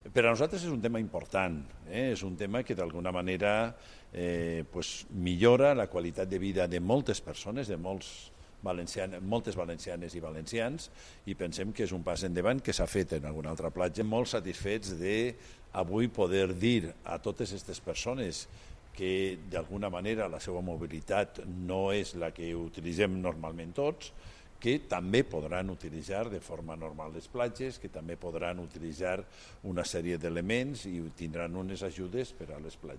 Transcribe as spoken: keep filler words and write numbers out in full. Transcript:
Per a nosaltres és un tema important, eh? És un tema que d'alguna manera eh, pues, millora la qualitat de vida de moltes persones, de molts valencianes, moltes valencianes i valencians, i pensem que és un pas endavant que s'ha fet en alguna altra platja. Molt satisfets de avui poder dir a totes aquestes persones que d'alguna manera la seva mobilitat no és la que utilitzem normalment tots, que també podran utilitzar de forma normal les platges, que també podran utilitzar una sèrie d'elements i tindran unes ajudes per a les platges.